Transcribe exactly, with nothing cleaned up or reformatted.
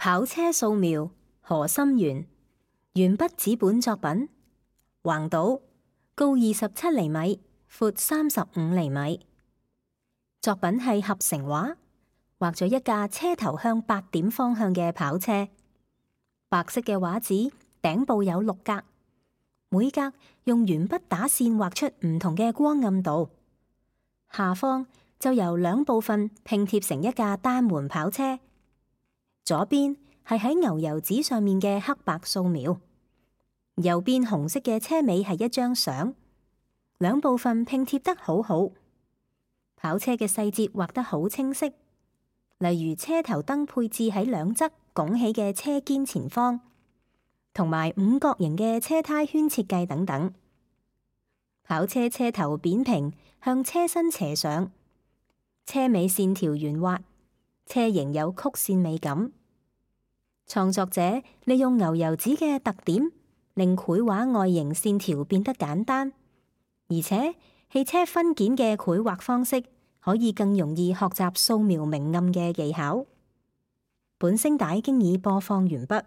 跑車素描何心源，鉛筆紙本作品，橫島，高二十七厘米，闊三十五厘米。作品係合成畫，畫咗一架車頭向八點方向嘅跑車。白色嘅畫紙頂部有六格，每格用鉛筆打線畫出唔同嘅光暗度。下方就由兩部分拼貼成一架單門跑車。左邊係喺牛油紙上面嘅黑白素描，右邊紅色嘅車尾係一張相，兩部分拼貼得好好。跑車嘅細節畫得好清晰，例如車頭燈配置喺兩側拱起嘅車肩前方，同埋五角形嘅車胎圈設計等等。跑車車頭扁平，向車身斜上，車尾線條圓滑，車型有曲線美感。創作者利用牛油紙嘅特點，令繪畫外形線條變得簡單，而且汽車分件嘅繪畫方式可以更容易學習素描明暗嘅技巧。本聲帶經已播放完畢。